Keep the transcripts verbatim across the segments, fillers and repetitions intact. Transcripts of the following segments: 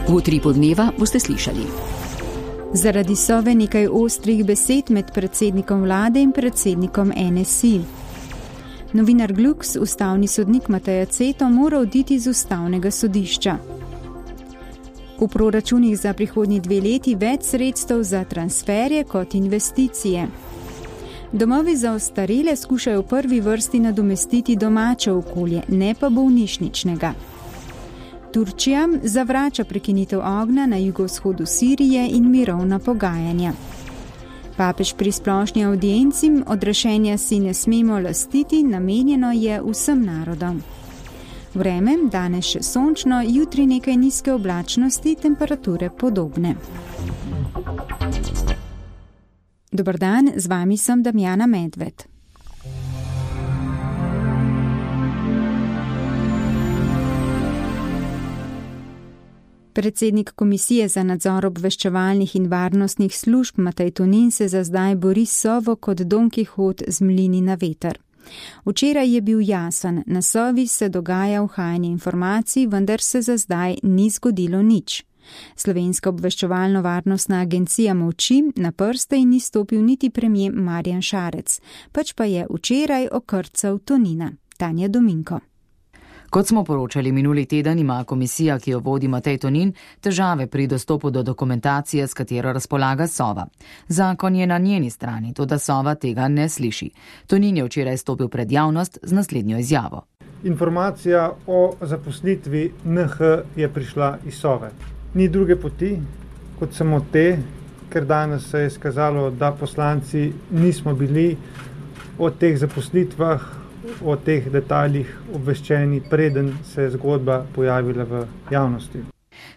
V utripu dneva boste slišali. Zaradi Sove nekaj ostrih besed med predsednikom vlade in predsednikom N S I. Novinar Glux, ustavni sodnik Matej Aceto, mora oditi z ustavnega sodišča. V proračunih za prihodnji dve leti več sredstev za transferje kot investicije. Domovi za ostarele skušajo v prvi vrsti nadomestiti domače okolje, ne pa bolnišničnega. Turčija zavrača prekinitev ognja na jugovzhodu Sirije in mirovna pogajanja. Papež pri splošni audienci: odrešenja si ne smemo lastiti, namenjeno je vsem narodom. Vreme, danes še sončno, jutri nekaj nizke oblačnosti, temperature podobne. Dober dan, z vami sem Damjana Medved. Predsednik Komisije za nadzor obveščevalnih in varnostnih služb Matej Tonin se za zdaj bori s Sovo kot Don Kihot z mlini na veter. Včeraj je bil jasen, na Sovi se dogaja uhajanje informacij, vendar se za zdaj ni zgodilo nič. Slovenska obveščevalno-varnostna agencija molči, na prste in ni stopil niti premier Marjan Šarec, pač pa je včeraj okrcal Tonina. Tanja Dominko. Kot smo poročali minuli teden, ima komisija, ki jo vodi Matej Tonin, težave pri dostopu do dokumentacije, s katero razpolaga Sova. Zakon je na njeni strani, toda Sova tega ne sliši. Tonin je včeraj stopil pred javnost z naslednjo izjavo. Informacija o zaposlitvi N H je prišla iz Sove. Ni druge poti, kot samo te, ker danes se je skazalo, da poslanci nismo bili o teh zaposlitvah, o teh detaljih obveščeni, preden se je zgodba pojavila v javnosti.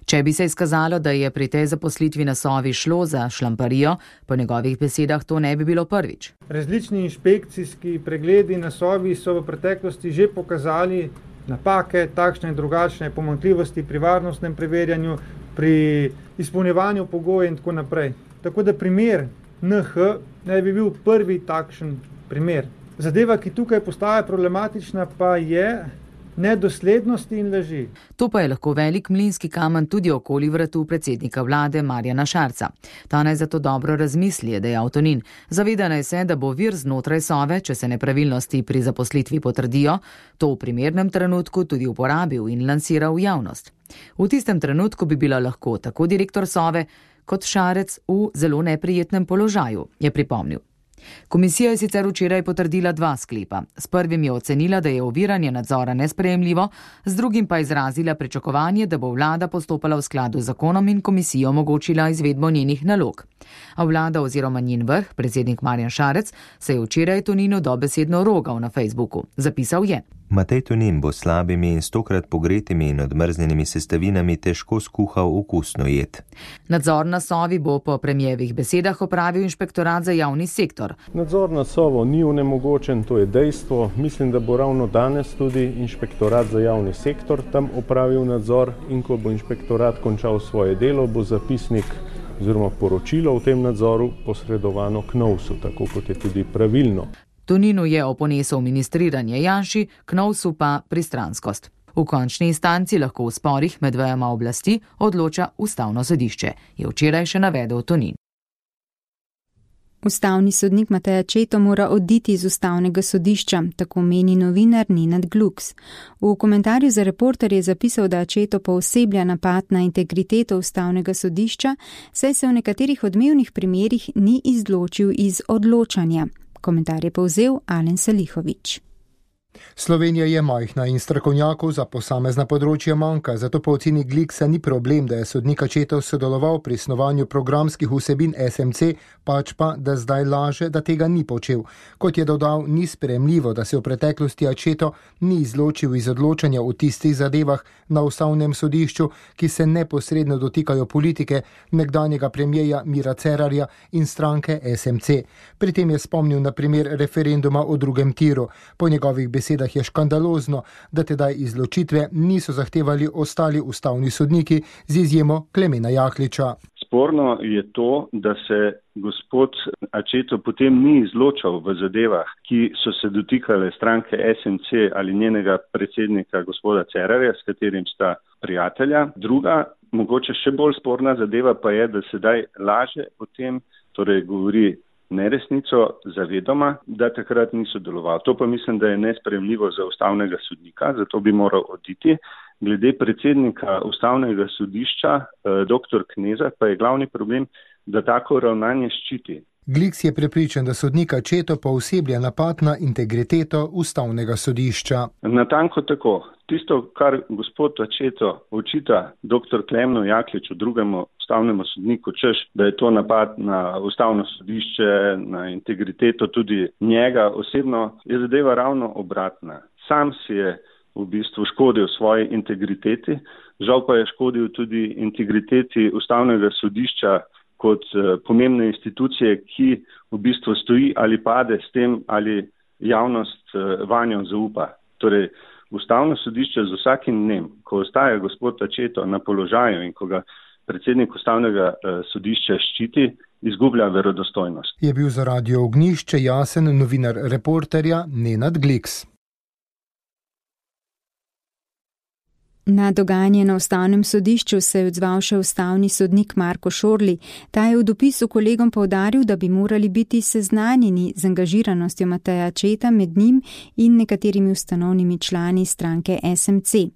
Če bi se izkazalo, da je pri tej zaposlitvi na Sovi šlo za šlamparijo, po njegovih besedah to ne bi bilo prvič. Različni inšpekcijski pregledi na Sovi so v preteklosti že pokazali napake, takšne in drugačne pomanjkljivosti pri varnostnem preverjanju, pri izpolnjevanju pogojev in tako naprej. Tako da primer N H ne bi bil prvi takšen primer. Zadeva, ki tukaj postaja problematična, pa je nedoslednosti in laži. To pa je lahko velik mlinski kamen tudi okoli vratu predsednika vlade Marjana Šarca. Ta naj zato dobro razmisli, je dejal Tonin. Zaveda naj se, da bo vir znotraj Sove, če se nepravilnosti pri zaposlitvi potrdijo, to v primernem trenutku tudi uporabil in lansiral v javnost. V tistem trenutku bi bila lahko tako direktor Sove kot Šarec v zelo neprijetnem položaju, je pripomnil. Komisija je sicer včeraj potrdila dva sklepa. S prvim je ocenila, da je oviranje nadzora nesprejemljivo, z drugim pa izrazila pričakovanje, da bo vlada postopala v skladu z zakonom in komisijo omogočila izvedbo njenih nalog. A vlada oziroma njen vrh, predsednik Marjan Šarec, se je včeraj Toninu dobesedno rogal na Facebooku. Zapisal je: Matej Tonin bo slabimi in stokrat pogretimi in odmrznjenimi sestavinami težko skuhal okusno jed. Nadzor na Sovi bo po premijevih besedah opravil inšpektorat za javni sektor. Nadzor na Sovo ni onemogočen, to je dejstvo. Mislim, da bo ravno danes tudi inšpektorat za javni sektor tam opravil nadzor in ko bo inšpektorat končal svoje delo, bo zapisnik oziroma poročilo v tem nadzoru posredovano K N O V S-u, tako kot je tudi pravilno. Toninu je oponesel ministriranje Janši, K N O V S-u pa pristranskost. V končni instanci lahko v sporih med vejama oblasti odloča ustavno sodišče, je včeraj še navedel Tonin. Ustavni sodnik Matej Aceto mora oditi iz ustavnega sodišča, tako meni novinar Nenad Glux. V komentarju za Reporter je zapisal, da Aceto pooseblja napad na integriteto ustavnega sodišča, saj se v nekaterih odmevnih primerih ni izločil iz odločanja. Komentar je povzel Alen Salihović. Slovenija je majhna in strokovnjakov za posamezna področja manjka, zato po oceni Glixa ni problem, da je sodnik Aceto sodeloval pri snovanju programskih vsebin S M C, pač pa, da zdaj laže, da tega ni počel. Kot je dodal, ni sprejemljivo, da se v preteklosti Aceto ni izločil iz odločanja v tistih zadevah na ustavnem sodišču, ki se neposredno dotikajo politike nekdanjega premierja Mira Cerarja in stranke S M C. Pri tem je spomnil na primer referenduma o drugem tiru. Po njegovih besedah je škandalozno, da tedaj izločitve niso zahtevali ostali ustavni sodniki z izjemo Klemena Jakliča. Sporno je to, da se gospod Aceto potem ni izločal v zadevah, ki so se dotikale stranke S M C ali njenega predsednika gospoda Cerarja, s katerim sta prijatelja. Druga mogoče še bolj sporna zadeva pa je, da sedaj laže o tem, torej govori neresnico zavedoma, da takrat ni sodeloval. To pa mislim, da je nesprejemljivo za ustavnega sodnika, zato bi moral oditi. Glede predsednika ustavnega sodišča, doktor Kneza, pa je glavni problem, da tako ravnanje ščiti. Gliks je prepričan, da sodnika Ačeto pooseblja napad na integriteto ustavnega sodišča. Natanko tako. Tisto, kar gospod Ačeto očita doktor Klemnu Jakliču, drugemu ustavnemu sodniku, češ, da je to napad na ustavno sodišče, na integriteto tudi njega osebno, je zadeva ravno obratna. Sam si je v bistvu škodil svoji integriteti, žal pa je škodil tudi integriteti ustavnega sodišča kot pomembne institucije, ki v bistvu stoji ali pade s tem, ali javnost vanjo zaupa. Torej, ustavno sodišče z vsakim dnem, ko ostaja gospod Ačeto na položaju in ko ga predsednik ustavnega sodišča ščiti, izgublja verodostojnost. Je bil za Radio Ognjišče jasen novinar Reporterja Nenad Gliks. Na dogajanje na ustavnem sodišču se je odzval še ustavni sodnik Marko Šorli. Ta je v dopisu kolegom poudaril, da bi morali biti seznanjeni z angažiranostjo Mateja Ačeta med njim in nekaterimi ustanovnimi člani stranke S M C.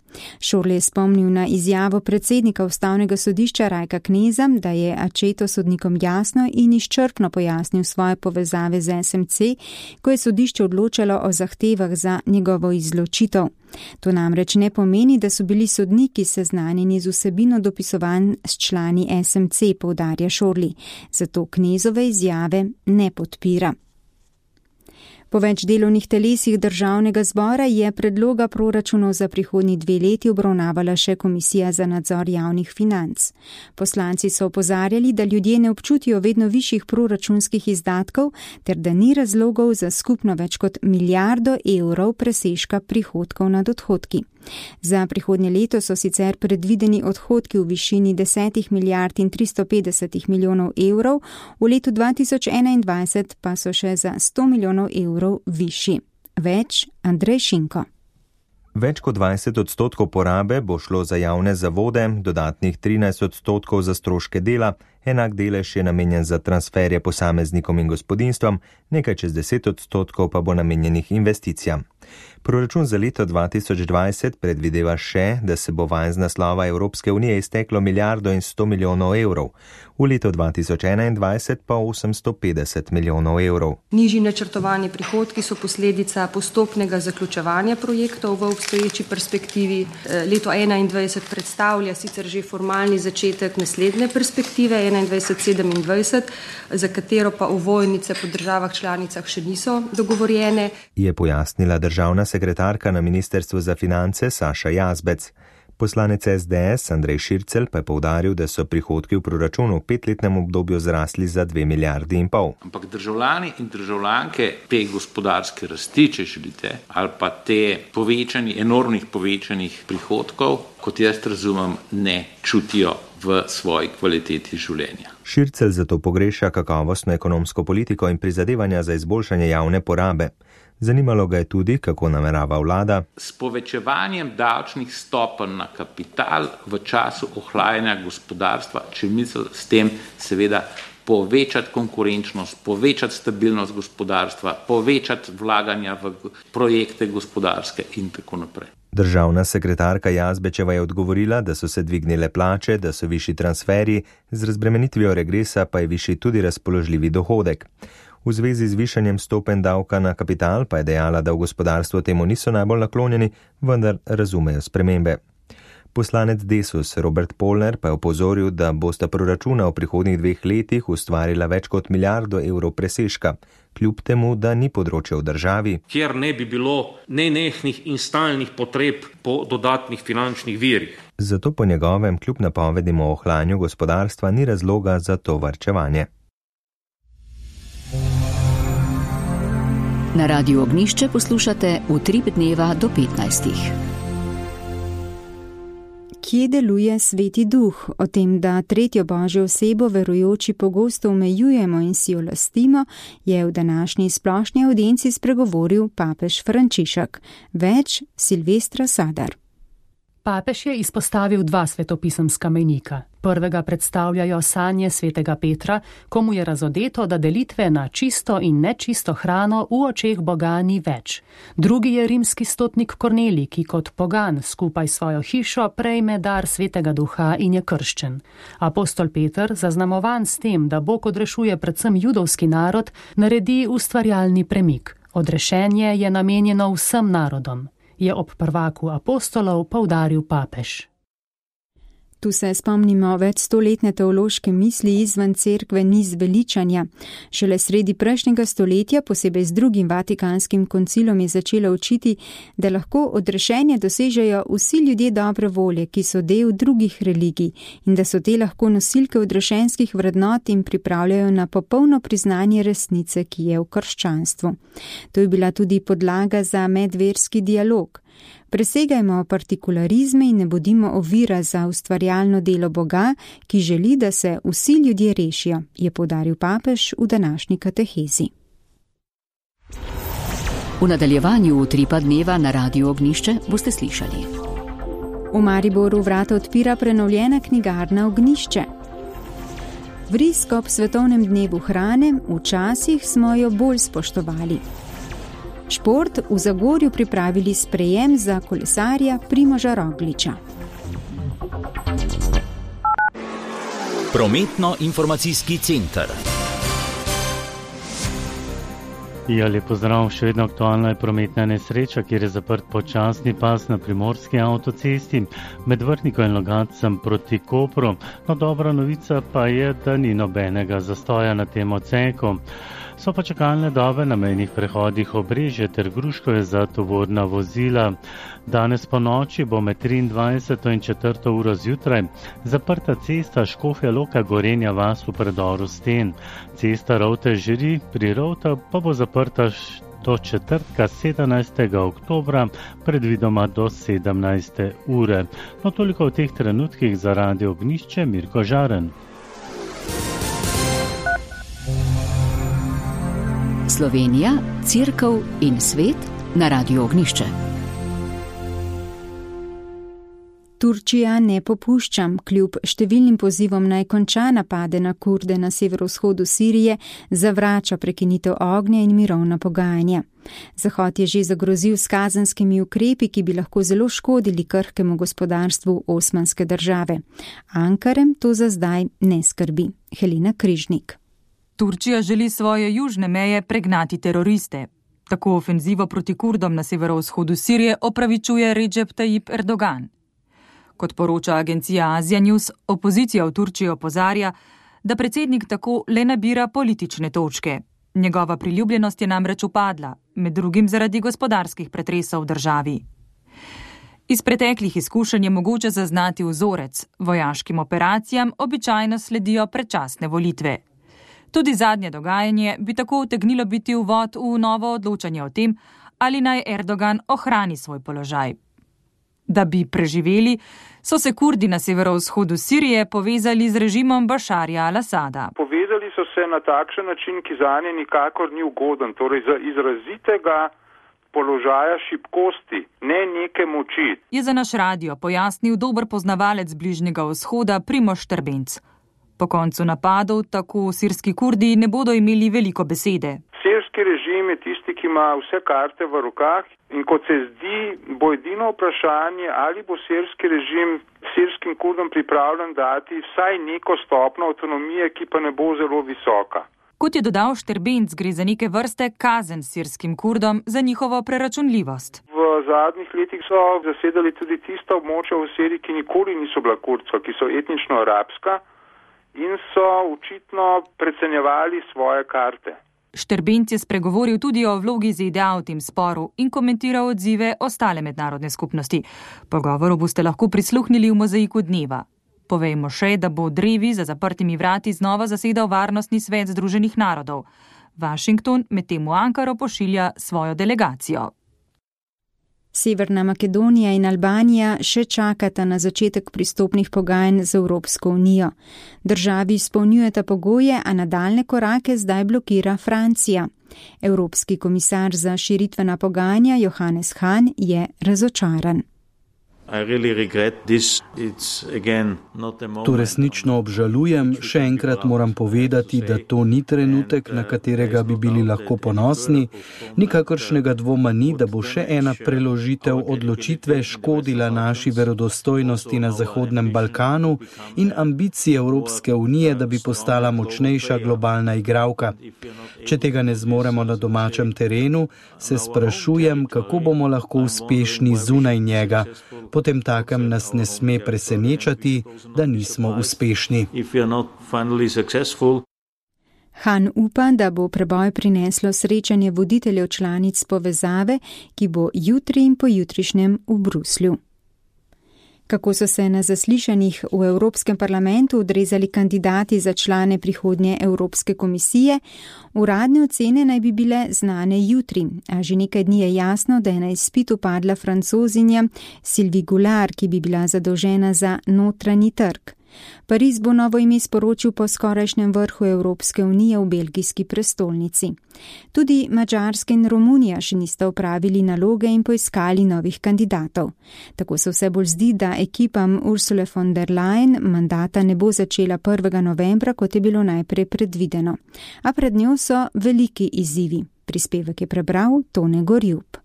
Šorli je spomnil na izjavo predsednika ustavnega sodišča Rajka Kneza, da je Ačeto sodnikom jasno in izčrpno pojasnil svoje povezave z S M C, ko je sodišče odločalo o zahtevah za njegovo izločitev. To namreč ne pomeni, da so bili sodniki seznanjeni z vsebino dopisovanj s člani S M C, poudarja Šorli, zato Knezove izjave ne podpira. Po več delovnih telesih državnega zbora je predloga proračunov za prihodnji dve leti obravnavala še Komisija za nadzor javnih financ. Poslanci so opozarjali, da ljudje ne občutijo vedno višjih proračunskih izdatkov, ter da ni razlogov za skupno več kot milijardo evrov presežka prihodkov nad odhodki. Za prihodnje leto so sicer predvideni odhodki v višini deset milijard in tristo petdeset milijonov evrov, v letu dva tisoč enaindvajset pa so še za sto milijonov evrov višji. Več Andrej Šinko. Več kot dvajset odstotkov porabe bo šlo za javne zavode, dodatnih trinajst odstotkov za stroške dela, enak delež je namenjen za transferje posameznikom in gospodinstvom, nekaj čez deset odstotkov pa bo namenjenih investicijam. Proračun za leto dva tisoč dvajset predvideva še, da se bo vanj z naslova Evropske unije izteklo milijardo in sto milijonov evrov, v letu dva tisoč enaindvajset pa osemsto petdeset milijonov evrov. Nižji načrtovani prihodki so posledica postopnega zaključevanja projektov v obstoječi perspektivi. Leto enaindvajset predstavlja sicer že formalni začetek naslednje perspektive enaindvajset sedemindvajset, za katero pa ovojnice po državah članicah še niso dogovorjene. Je pojasnila državna sekretarka na Ministrstvu za finance Saša Jazbec. Poslanec S D S Andrej Šircelj pa je poudaril, da so prihodki v proračunu v petletnem obdobju zrasli za dve milijardi in pol. Ampak državljani in državljanke te gospodarske rasti, če želite, ali pa te povečani, enormnih povečanih prihodkov, kot jaz razumem, ne čutijo v svoji kvaliteti življenja. Šircelj zato pogreša kakovostno ekonomsko politiko in prizadevanja za izboljšanje javne porabe. Zanimalo ga je tudi, kako namerava vlada s povečevanjem davčnih stopenj na kapital v času ohlajanja gospodarstva, če misli s tem seveda povečati konkurenčnost, povečati stabilnost gospodarstva, povečati vlaganja v projekte gospodarske in tako naprej. Državna sekretarka Jazbečeva je odgovorila, da so se dvignile plače, da so višji transferji, z razbremenitvijo regresa pa je višji tudi razpoložljivi dohodek. V zvezi z višanjem stopenj davka na kapital pa je dejala, da v gospodarstvu temu niso najbolj naklonjeni, vendar razumejo spremembe. Poslanec Desus Robert Polner pa je opozoril, da bosta proračuna v prihodnjih dveh letih ustvarila več kot milijardo evrov presežka, kljub temu, da ni področja v državi, kjer ne bi bilo nenehnih in stalnih potreb po dodatnih finančnih virih. Zato po njegovem kljub napovedim o ohlajanju gospodarstva ni razloga za to varčevanje. Na Radiu Ognjišče poslušate Utrip dneva do petnajstih. Kje deluje Sveti Duh? O tem, da tretjo božjo osebo verujoči pogosto omejujemo in si jo lastimo, je v današnji splošni avdienci spregovoril papež Frančišek. Več Silvestra Sadar. Papež je izpostavil dva svetopisemska mejnika. Prvega predstavljajo sanje svetega Petra, komu je razodeto, da delitve na čisto in nečisto hrano v očeh Boga ni več. Drugi je rimski stotnik Kornelij, ki kot pogan skupaj s svojo hišo prejme dar svetega duha in je krščen. Apostol Peter, zaznamovan s tem, da Bog odrešuje predvsem judovski narod, naredi ustvarjalni premik. Odrešenje je namenjeno vsem narodom, je ob prvaku apostolov poudaril papež. Tu se spomnimo več stoletne teološke misli izven cerkve ni zveličanja. Šele sredi prejšnjega stoletja, posebej z drugim vatikanskim koncilom, je začela učiti, da lahko odrešenje dosežejo vsi ljudje dobre volje, ki so del drugih religij in da so te lahko nosilke odrešenskih vrednot in pripravljajo na popolno priznanje resnice, ki je v krščanstvu. To je bila tudi podlaga za medverski dialog. Presegajmo partikularizme in ne bodimo ovira za ustvarjalno delo Boga, ki želi, da se vsi ljudje rešijo, je poudaril papež v današnji katehezi. V nadaljevanju utripa dneva na Radiu Ognjišče boste slišali. V Mariboru vrata odpira prenovljena knjigarna Ognjišče. Vrisk ob svetovnem dnevu hrane, včasih smo jo bolj spoštovali. Šport, v Zagorju pripravili sprejem za kolesarja Primoža Rogliča. Prometno-informacijski center. Ja, lep pozdrav, še vedno aktualna je prometna nesreča, kjer je zaprt počasni pas na primorski avtocesti med Vrhnikom in Logatcem proti Kopru. No, dobra novica pa je, da ni nobenega zastoja na tem odseku. So pa čakalne dobe na mejnih prehodih Obrežje ter Gruškovje za tovorna vozila. Danes po noči bo med triindvajseto in četrto uro zjutraj zaprta cesta Škofja Loka Gorenja vas v predoru Sten. Cesta Rovte-Žiri pri Rovta pa bo zaprta do četrtka sedemnajstega oktobra, predvidoma do sedemnajste ure. No, toliko v teh trenutkih za Radio Ognjišče, Mirko Žaren. Slovenija, Cerkev in svet na Radiu Ognjišče. Turčija ne popušča, kljub številnim pozivom naj konča napade na Kurde na severovzhodu Sirije, zavrača prekinitev ognja in mirovna pogajanja. Zahod je že zagrozil s kazenskimi ukrepi, ki bi lahko zelo škodili krhkemu gospodarstvu osmanske države. Ankarem to za zdaj ne skrbi. Helena Križnik. Turčija želi svoje južne meje pregnati teroriste. Tako ofenzivo proti Kurdom na severovzhodu Sirije opravičuje Recep Tayyip Erdogan. Kot poroča agencija Asia News, opozicija v Turčiji opozarja, da predsednik tako le nabira politične točke. Njegova priljubljenost je namreč upadla, med drugim zaradi gospodarskih pretresov v državi. Iz preteklih izkušenj je mogoče zaznati vzorec. Vojaškim operacijam običajno sledijo predčasne volitve. Tudi zadnje dogajanje bi tako utegnilo biti uvod v novo odločanje o tem, ali naj Erdogan ohrani svoj položaj. Da bi preživeli, so se Kurdi na severovzhodu Sirije povezali z režimom Bašarja al-Asada. Povezali so se na takšen način, ki zanje nikakor ni ugoden, torej za izrazitega položaja šibkosti, ne neke moči. Je za naš radio pojasnil dober poznavalec Bližnjega vzhoda Primož Trbenc. Po koncu napadov tako sirski Kurdi ne bodo imeli veliko besede. Sirski režim je tisti, ki ima vse karte v rokah in kot se zdi, bo edino vprašanje, ali bo sirski režim sirskim Kurdom pripravljen dati vsaj neko stopnjo avtonomije, ki pa ne bo zelo visoka. Kot je dodal Šterbenc, gre za neke vrste kazen sirskim Kurdom za njihovo preračunljivost. V zadnjih letih so zasedali tudi tista območja v Siriji, ki nikoli niso bila kurdska, ki so etnično arabska in so očitno precenjevali svoje karte. Šterbenc je spregovoril tudi o vlogi Z D A v tem sporu in komentiral odzive ostale mednarodne skupnosti. Pogovoru boste lahko prisluhnili v Mozaiku dneva. Povejmo še, da bo drevi za zaprtimi vrati znova zasedal Varnostni svet Združenih narodov. Washington medtem v Ankaro pošilja svojo delegacijo. Severna Makedonija in Albanija še čakata na začetek pristopnih pogajanj z Evropsko unijo. Državi izpolnjujeta pogoje, a nadaljne korake zdaj blokira Francija. Evropski komisar za širitvena pogajanja Johannes Hahn je razočaran. To resnično obžalujem. Še enkrat moram povedati, da to ni trenutek, na katerega bi bili lahko ponosni. Nikakršnega dvoma ni, da bo še ena preložitev odločitve škodila naši verodostojnosti na Zahodnem Balkanu in ambiciji Evropske unije, da bi postala močnejša globalna igralka. Če tega ne zmoremo na domačem terenu, se sprašujem, kako bomo lahko uspešni zunaj njega. Potem takem nas ne sme presenečati, da nismo uspešni. Han upa, da bo preboj prineslo srečanje voditeljev članic povezave, ki bo jutri in pojutrišnjem v Bruslju. Kako so se na zaslišanjih v Evropskem parlamentu odrezali kandidati za člane prihodnje Evropske komisije, uradne ocene naj bi bile znane jutri, a že nekaj dni je jasno, da je na izpitu padla Francozinja Sylvie Goulard, ki bi bila zadolžena za notranji trg. Pariz bo novo ime sporočil po skorajšnjem vrhu Evropske unije v belgijski prestolnici. Tudi Madžarska in Romunija še nista opravili naloge in poiskali novih kandidatov. Tako se vse bolj zdi, da ekipam Ursule von der Leyen mandata ne bo začela prvega novembra, kot je bilo najprej predvideno. A pred njo so veliki izzivi. Prispevek je prebral Tone Gorjub.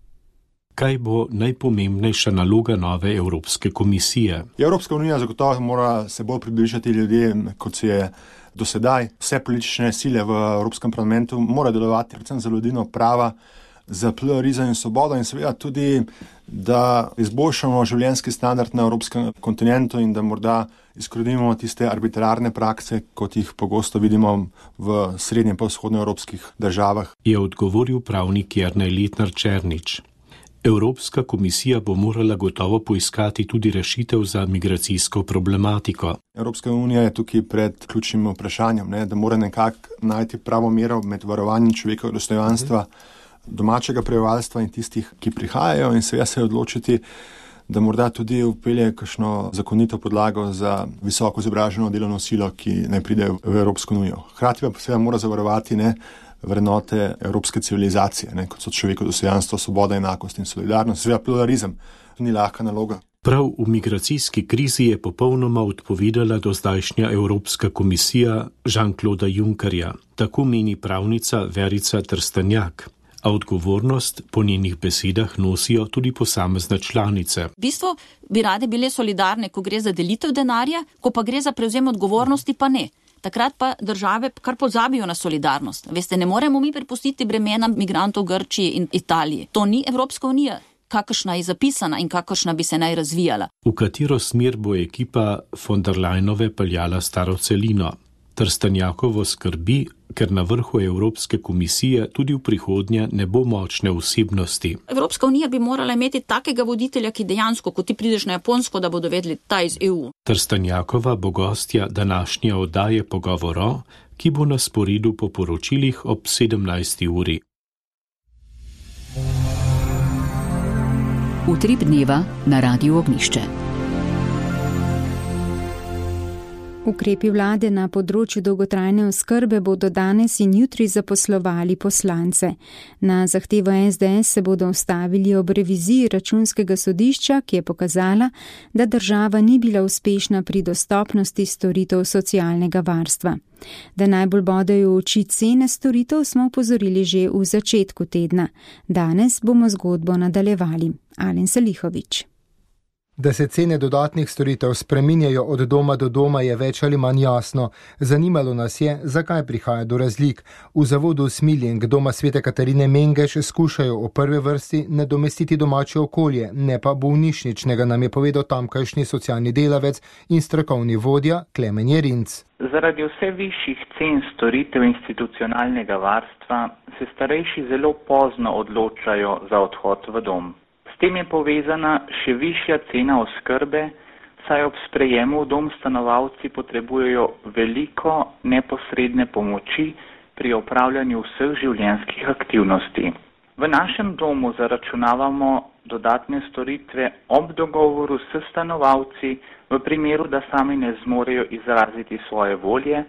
Kaj bo najpomembnejša naloga nove Evropske komisije? Evropska unija zagotovo mora se bolj približati ljudem, kot se je do sedaj. Vse politične sile v Evropskem parlamentu mora delovati predvsem za vladavino prava, za pluralizem in svobodo in seveda tudi, da izboljšamo življenjski standard na evropskem kontinentu in da morda izkorenimo tiste arbitrarne prakse, kot jih pogosto vidimo v srednjem pa vzhodnoevropskih državah. Je odgovoril pravnik Jernej Letnar Černič. Evropska komisija bo morala gotovo poiskati tudi rešitev za migracijsko problematiko. Evropska unija je tukaj pred ključnim vprašanjem, ne, da mora nekako najti pravo mero med varovanjem človekovega dostojanstva domačega prebivalstva in tistih, ki prihajajo, in seveda se odločiti, da morda tudi vpelje kakšno zakonito podlago za visoko izobraženo delovno silo, ki naj pride v Evropsko unijo. Hkrati pa seveda mora zavarovati ne vrednote evropske civilizacije, ne, kot so človekovo dostojanstvo, svoboda, enakost in solidarnost, seveda pluralizem. Ni lahka naloga. Prav v migracijski krizi je popolnoma odpovedala dozdajšnja Evropska komisija Jean-Claude Junckerja. Tako meni pravnica Verica Trstenjak. A odgovornost po njenih besedah nosijo tudi posamezne članice. V bistvu bi rade bile solidarne, ko gre za delitev denarja, ko pa gre za prevzem odgovornosti, pa ne. Takrat pa države kar pozabijo na solidarnost. Veste, ne moremo mi prepustiti bremena migrantov Grčiji in Italiji. To ni Evropska unija, kakršna je zapisana in kakršna bi se naj razvijala. V katero smer bo ekipa von der Leyenove peljala staro celino? Trstenjakovo skrbi, ker na vrhu Evropske komisije tudi v prihodnje ne bo močne osebnosti. Evropska unija bi morala imeti takega voditelja, ki dejansko, ko ti prideš na Japonsko, da bodo vedeli, ta iz E U. Trstenjakova bo gostja današnje oddaje Pogovoro, ki bo na sporedu po poročilih ob sedemnajsti uri. Utrip dneva na Radiu Ognjišče. Ukrepi vlade na področju dolgotrajne oskrbe bodo danes in jutri zaposlovali poslance. Na zahtevo S D S se bodo ustavili ob reviziji računskega sodišča, ki je pokazala, da država ni bila uspešna pri dostopnosti storitev socialnega varstva. Da najbolj bodejo v oči cene storitev, smo upozorili že v začetku tedna. Danes bomo zgodbo nadaljevali. Alen Salihovič. Da se cene dodatnih storitev spreminjajo od doma do doma, je več ali manj jasno. Zanimalo nas je, zakaj prihaja do razlik. V zavodu Smiling doma Svete Katarine Mengeš skušajo v prvi vrsti nadomestiti domače okolje, ne pa bolnišničnega, nam je povedal tamkajšnji socialni delavec in strokovni vodja Klemen Jerinc. Zaradi vse višjih cen storitev institucionalnega varstva se starejši zelo pozno odločajo za odhod v dom. S tem je povezana še višja cena oskrbe, saj ob sprejemu v dom stanovalci potrebujejo veliko neposredne pomoči pri opravljanju vseh življenjskih aktivnosti. V našem domu zaračunavamo dodatne storitve ob dogovoru s stanovalci, v primeru, da sami ne zmorejo izraziti svoje volje,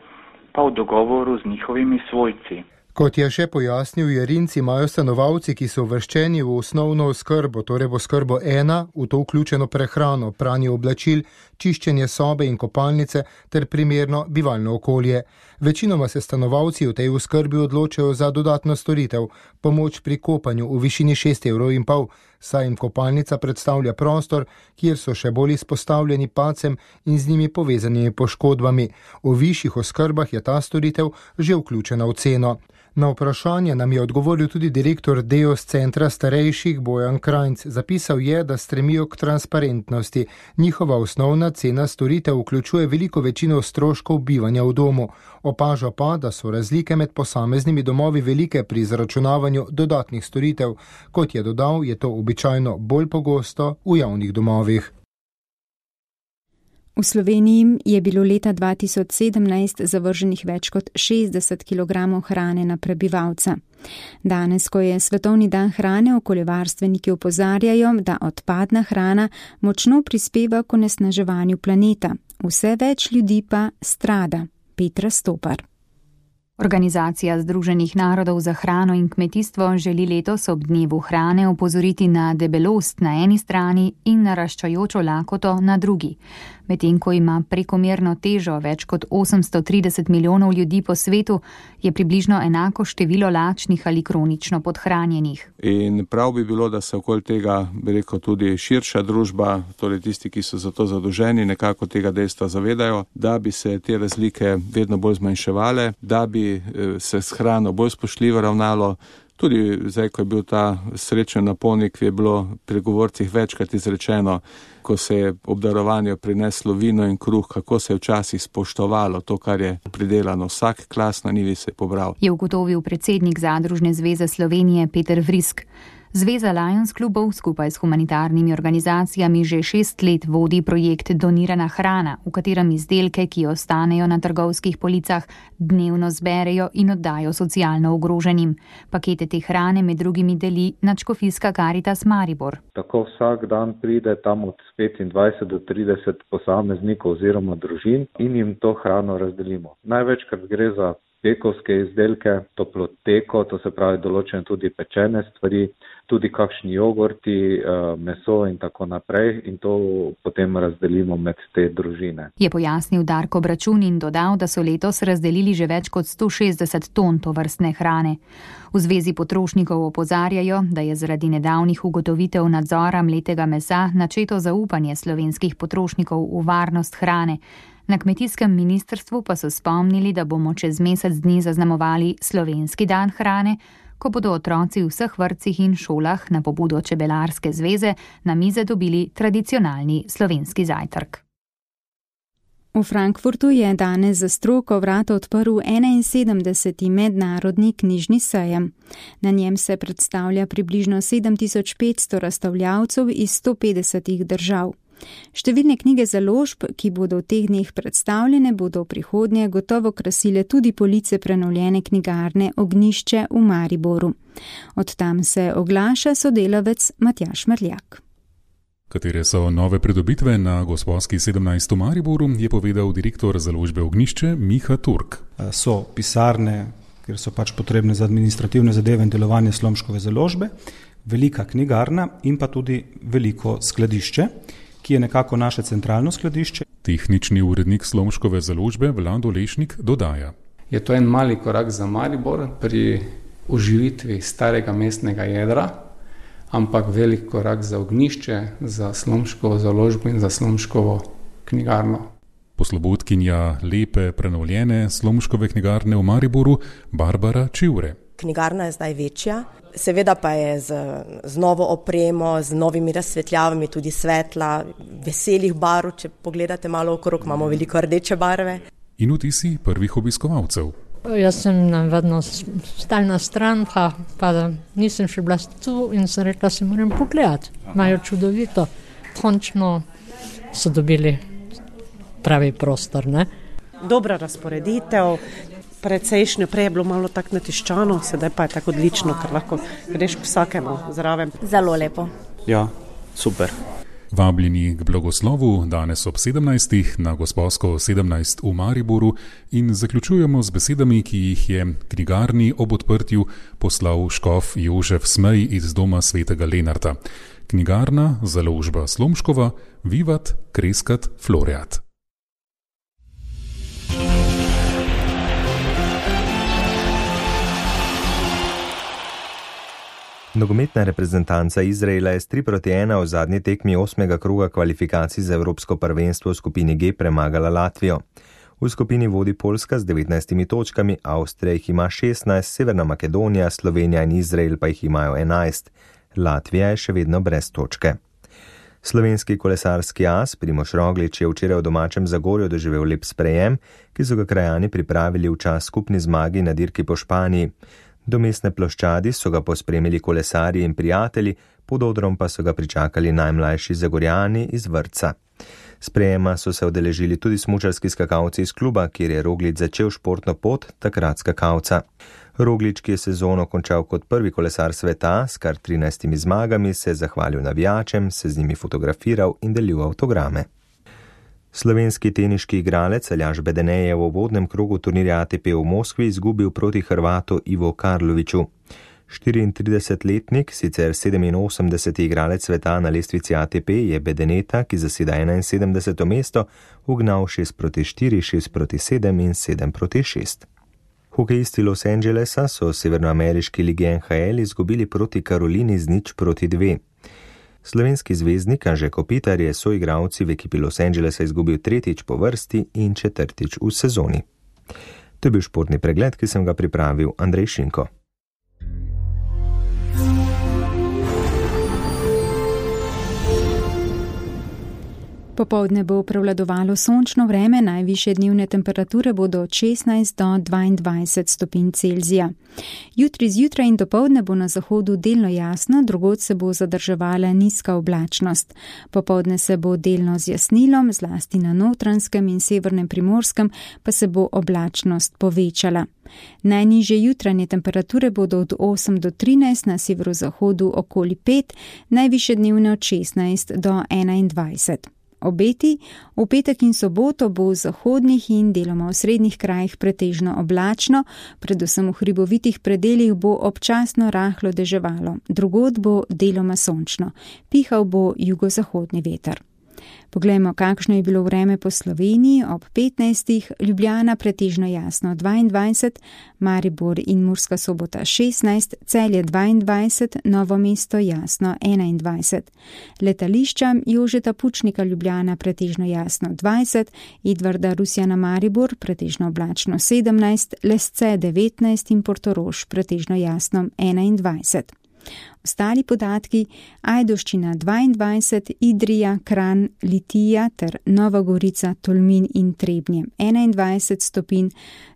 pa v dogovoru z njihovimi svojci. Kot je še pojasnil Jerinc, imajo stanovalci, ki so uvrščeni v osnovno oskrbo, torej v oskrbo ena, v to vključeno prehrano, pranje oblačil, čiščenje sobe in kopalnice ter primerno bivalno okolje. Večinoma se stanovalci v tej oskrbi odločajo za dodatno storitev, pomoč pri kopanju v višini šest evrov in pol, saj jim kopalnica predstavlja prostor, kjer so še bolj izpostavljeni padcem in z njimi povezanimi poškodbami. V višjih oskrbah je ta storitev že vključena v ceno. Na vprašanje nam je odgovoril tudi direktor Deos centra starejših Bojan Krajnc. Zapisal je, da stremijo k transparentnosti. Njihova osnovna cena storitev vključuje veliko večino stroškov bivanja v domu. Opaža pa, da so razlike med posameznimi domovi velike pri izračunavanju dodatnih storitev. Kot je dodal, je to običajno bolj pogosto v javnih domovih. V Sloveniji je bilo leta dva tisoč sedemnajst zavrženih več kot šestdeset kilogramov hrane na prebivalca. Danes, ko je Svetovni dan hrane, okoljevarstveniki opozarjajo, da odpadna hrana močno prispeva k onesnaževanju planeta. Vse več ljudi pa strada. Petra Stopar. Organizacija Združenih narodov za hrano in kmetijstvo želi letos ob dnevu hrane opozoriti na debelost na eni strani in naraščajočo lakoto na drugi. Medtem ko ima prekomerno težo več kot osemsto trideset milijonov ljudi po svetu, je približno enako število lačnih ali kronično podhranjenih. In prav bi bilo, da se okoli tega, bi rekel, tudi širša družba, torej tisti, ki so za to zadolženi, nekako tega dejstva zavedajo, da bi se te razlike vedno bolj zmanjševale, da bi se s hrano bolj spoštljivo ravnalo. Tudi zdaj, ko je bil ta srečen napolnik, je bilo pri govorcih večkrat izrečeno, ko se je ob darovanju prineslo vino in kruh, kako se je včasih spoštovalo to, kar je pridelano. Vsak klas na njivi se je pobral. Je ugotovil predsednik Zadružne zveze Slovenije Peter Vrisk. Zveza Lions klubov skupaj s humanitarnimi organizacijami že šest let vodi projekt Donirana hrana, v katerem izdelke, ki ostanejo na trgovskih policah, dnevno zberejo in oddajo socialno ogroženim. Pakete te hrane med drugimi deli Nadškofijska Karitas Maribor. Tako vsak dan pride tam od petindvajset do trideset posameznikov oziroma družin in jim to hrano razdelimo. Največkrat gre za pekovske izdelke, toploteko, to se pravi določene tudi pečene stvari, tudi kakšni jogurti, meso in tako naprej in to potem razdelimo med te družine. Je pojasnil Darko Bračun in dodal, da so letos razdelili že več kot sto šestdeset ton tovrstne hrane. V Zvezi potrošnikov opozarjajo, da je zaradi nedavnih ugotovitev nadzora mletega mesa načeto zaupanje slovenskih potrošnikov v varnost hrane. Na kmetijskem ministrstvu pa so spomnili, da bomo čez mesec dni zaznamovali Slovenski dan hrane, ko bodo otroci v vseh vrtcih in šolah na pobudo Čebelarske zveze na mize dobili tradicionalni slovenski zajtrk. V Frankfurtu je danes za stroko vrata odprl enainsedemdeseti mednarodni knjižni sejem. Na njem se predstavlja približno sedem tisoč petsto razstavljavcev iz sto petdesetih držav. Številne knjige založb, ki bodo v teh dneh predstavljene, bodo v prihodnje gotovo krasile tudi police prenovljene knjigarne Ognjišče v Mariboru. Od tam se oglaša sodelavec Matjaž Mrljak. Katere so nove pridobitve na Gosposki sedemnajst v Mariboru, je povedal direktor založbe Ognjišče Miha Turk. So pisarne, kjer so pač potrebne za administrativne zadeve in delovanje Slomškove založbe, velika knjigarna in pa tudi veliko skladišče, ki je nekako naše centralno skladišče. Tehnični urednik Slomškove založbe Vlado Lešnik dodaja. Je to en mali korak za Maribor pri oživitvi starega mestnega jedra, ampak velik korak za Ognjišče, za Slomškovo založbo in za Slomškovo knjigarno. Poslovodkinja lepe prenovljene Slomškove knjigarne v Mariboru Barbara Čivre. Knjigarna je zdaj večja, seveda pa je z, z novo opremo, z novimi razsvetljavami, tudi svetla, veselih barv, če pogledate malo okrog, imamo veliko rdeče barve. In vtisi prvih obiskovalcev. Jaz sem vedno stalna stran, pa, pa nisem še bila tu in sem rekla, se moram pogledati. Imajo čudovito. Končno so dobili pravi prostor, ne? Dobra razporeditev. Precejšnjo prej je bilo malo tako natiščano, sedaj pa je tako odlično, ker lahko greš k vsakemu zraven. Zelo lepo. Ja, super. Vabljeni k blagoslovu danes ob sedemnajstih na Gosposko sedemnajst v Mariboru in zaključujemo z besedami, ki jih je knjigarni ob odprtju poslal škof Jožef Smej iz Doma svetega Lenarta. Knjigarna, založba Slomškova, Vivat, Kreskat, Floreat. Nogometna reprezentanca Izraela je s tri proti ena v zadnji tekmi osmega kroga kvalifikacij za Evropsko prvenstvo v skupini G premagala Latvijo. V skupini vodi Poljska z devetnajstimi točkami, Avstrija jih ima šestnajst, Severna Makedonija, Slovenija in Izrael pa jih imajo enajst. Latvija je še vedno brez točke. Slovenski kolesarski as Primož Roglič je včeraj v domačem Zagorju doživel lep sprejem, ki so ga krajani pripravili v čas skupni zmagi na dirki po Španiji. Do mestne ploščadi so ga pospremili kolesarji in prijatelji, pod odrom pa so ga pričakali najmlajši Zagorjani iz vrtca. Sprejema so se udeležili tudi smučarski skakalci iz kluba, kjer je Roglič začel športno pot takrat skakalca. Roglič, ki je sezono končal kot prvi kolesar sveta s kar trinajstimi zmagami, se je zahvalil navijačem, se z njimi fotografiral in delil avtograme. Slovenski teniški igralec Aljaž Bedene je v uvodnem krogu turnirja A T P v Moskvi izgubil proti Hrvatu Ivo Karloviću. štiriintridesetletnik, sicer sedeminosemdeseti igralec sveta na lestvici A T P, je Bedeneta, ki zaseda enainsedemdeseto mesto, ugnal šest proti štiri, šest proti sedem in sedem proti šest. Hokejisti Los Angelesa so v severnoameriški ligi N H L izgubili proti Karolini z nič proti dve. Slovenski zvezdnik Anže Kopitar je soigralci v ekipi Los Angelesa izgubil tretjič po vrsti in četrtič v sezoni. To je bil športni pregled, ki sem ga pripravil Andrej Šinko. Popoldne bo prevladovalo sončno vreme, najvišje dnevne temperature bodo od šestnajst do dvaindvajset stopinj Celzija. Jutri zjutraj in dopoldne bo na zahodu delno jasno, drugod se bo zadrževala nizka oblačnost. Popoldne se bo delno zjasnilo, zlasti na Notranjskem in severnem Primorskem pa se bo oblačnost povečala. Najnižje jutranje temperature bodo od osem do trinajst, na severozahodu okoli pet, najvišje dnevne od šestnajst do enaindvajset. Obeti, v petek in soboto bo v zahodnih in deloma v srednjih krajih pretežno oblačno, predvsem v hribovitih predeljih bo občasno rahlo deževalo, drugod bo deloma sončno, pihal bo jugozahodni veter. Poglejmo, kakšno je bilo vreme po Sloveniji ob petnajstih, Ljubljana pretežno jasno dvaindvajset, Maribor in Murska Sobota šestnajst, Celje dvaindvajset, Novo mesto jasno enaindvajset. Letališča Jožeta Pučnika Ljubljana pretežno jasno dvajset, Edvarda Rusjana Maribor pretežno oblačno sedemnajst, Lesce devetnajst in Portorož pretežno jasno enaindvajset. Ostali podatki: Ajdovščina dvaindvajset, Idrija, Kranj, Litija ter Nova Gorica, Tolmin in Trebnje enaindvajset stopinj,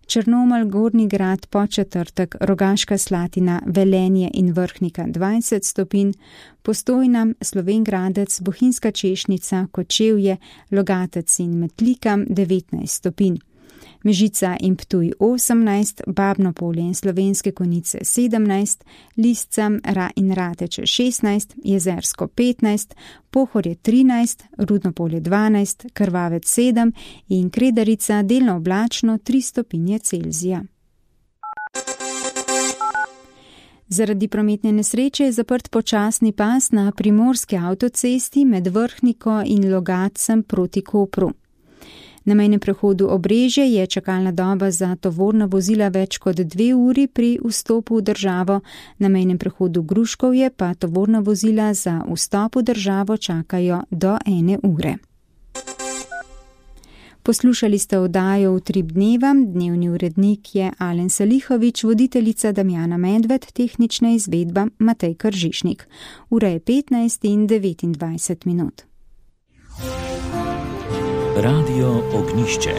Črnomelj, Gornji Grad, Podčetrtek, Rogaška Slatina, Velenje in Vrhnika dvajset stopinj, Postojna, Slovenj Gradec, Bohinjska Češnica, Kočevje, Logatec in Metlika devetnajst stopinj. Mežica in Ptuj osemnajst, Babno Polje in Slovenske Konjice sedemnajst, Lisca Ra in Rateče šestnajst, Jezersko petnajst, Pohorje trinajst, Rudno Polje dvanajst, Krvavec sedem in Kredarica delno oblačno tri stopinje Celzija. Zaradi prometne nesreče je zaprt počasni pas na primorski avtocesti med Vrhniko in Logatcem proti Kopru. Na mejnem prehodu Obrežje je čakalna doba za tovorna vozila več kot dve uri pri vstopu v državo, na mejnem prehodu Gruškovje pa tovorna vozila za vstop v državo čakajo do ene ure. Poslušali ste oddajo Utrip dneva, dnevni urednik je Alen Salihovič, voditeljica Damjana Medved, tehnična izvedba Matej Kržišnik. Ura je petnajst in devetindvajset minut. Radio Ognišče.